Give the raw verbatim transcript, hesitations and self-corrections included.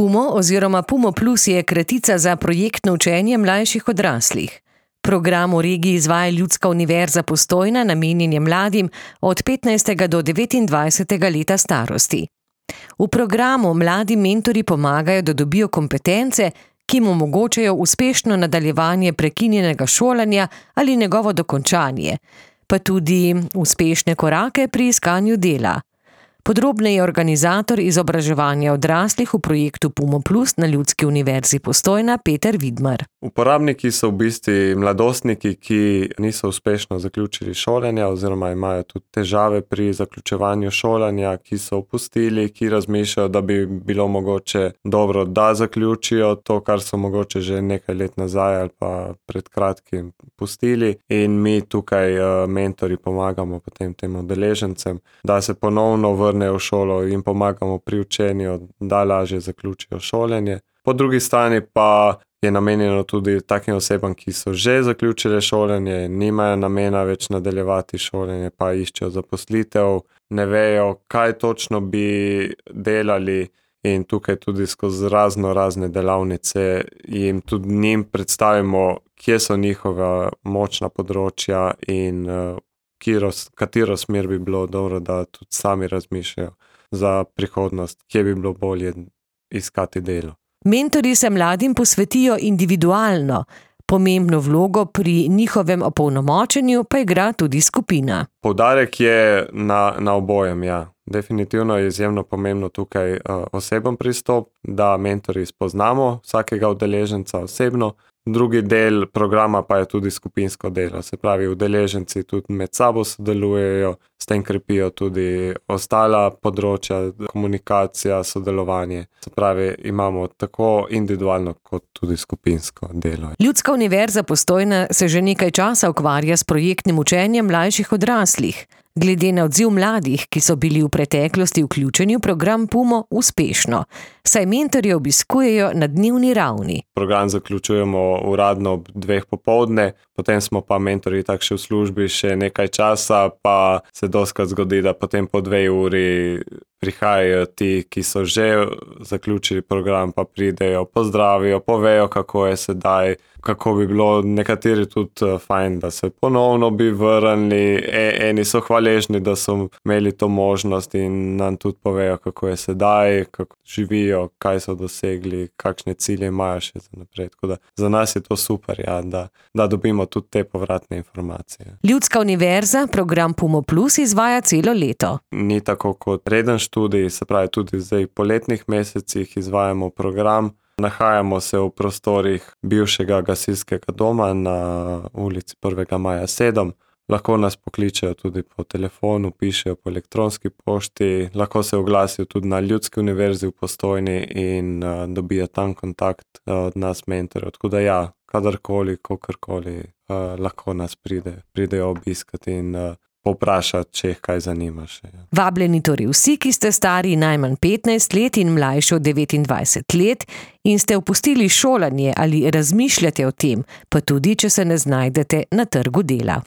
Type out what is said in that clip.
PUMO oziroma PUMO Plus je kratica za projektno učenje mlajših odraslih. Program v regiji izvaja Ljudska univerza Postojna, namenjen je mladim od petnajstega do devetindvajsetega leta starosti. V programu mladi mentorji pomagajo, da dobijo kompetence, ki jim omogočajo uspešno nadaljevanje prekinjenega šolanja ali njegovo dokončanje, pa tudi uspešne korake pri iskanju dela. Podrobneje organizator izobraževanja odraslih v projektu PUMO Plus na Ljudski univerzi Postojna Peter Vidmar. Uporabniki so v bistvu mladostniki, ki niso uspešno zaključili šolanja oziroma imajo tudi težave pri zaključevanju šolanja, ki so opustili, ki razmišljajo, da bi bilo mogoče dobro, da zaključijo to, kar so mogoče že nekaj let nazaj ali pa pred kratkim pustili. In mi tukaj mentori pomagamo potem tem udeležencem, da se ponovno vrnejo v šolo in pomagamo pri učenju, da lažje zaključijo šolanje. Po drugi strani pa je namenjeno tudi takim osebam, ki so že zaključile šolanje, nimajo namena več nadaljevati šolanje, pa iščejo zaposlitev, ne vejo, kaj točno bi delali, in tukaj tudi skozi razno razne delavnice jim tudi njim predstavimo, kje so njihova močna področja in katero smer bi bilo dobro, da tudi sami razmišljajo za prihodnost, kje bi bilo bolje iskati delo. Mentorji se mladim posvetijo individualno, pomembno vlogo pri njihovem opolnomočenju pa igra tudi skupina. Poudarek je na, na obojem, ja. Definitivno je izjemno pomembno tukaj uh, oseben pristop, da mentorji spoznamo vsakega udeleženca osebno. Drugi del programa pa je tudi skupinsko delo, se pravi, udeleženci tudi med sabo sodelujejo, s tem krepijo tudi ostala področja, komunikacija, sodelovanje. Se pravi, imamo tako individualno kot tudi skupinsko delo. Ljudska univerza Postojna se že nekaj časa ukvarja s projektnim učenjem mlajših odraslih. Glede na odziv mladih, ki so bili v preteklosti vključeni v program PUMO, uspešno, saj mentorje obiskujejo na dnevni ravni. Program zaključujemo uradno ob dveh popoldne, potem smo pa mentorji tak še v službi še nekaj časa, pa se dostikrat zgodi, da potem po dve uri prihajajo ti, ki so že zaključili program, pa pridejo, pozdravijo, povejo, kako je sedaj, kako bi bilo nekateri tudi fajn, da se ponovno bi vrnili, e, eni so hvaležni, da so imeli to možnost in nam tudi povejo, kako je sedaj, kako živijo, kaj so dosegli, kakšne cilje imajo še za naprej. Tako da za nas je to super, ja, da, da dobimo tudi te povratne informacije. Ljudska univerza program PUMO Plus izvaja celo leto. Ni tako kot reden študij, se pravi tudi zdaj v poletnih mesecih izvajamo program. Nahajamo se v prostorih bivšega gasilskega doma na ulici prvega maja sedem. Lahko nas pokličejo tudi po telefonu, pišejo po elektronski pošti, lahko se oglasijo tudi na Ljudski univerzi v Postojni in uh, dobijo tam kontakt uh, od nas mentorjev. Tako da ja, kadarkoli, kakorkoli uh, lahko nas pride, pridejo obiskati in uh, povprašati, če jih kaj zanima še. Ja. Vabljeni torej vsi, ki ste stari najmanj petnajst let in mlajši od devetindvajset let in ste opustili šolanje ali razmišljate o tem, pa tudi, če se ne znajdete na trgu dela.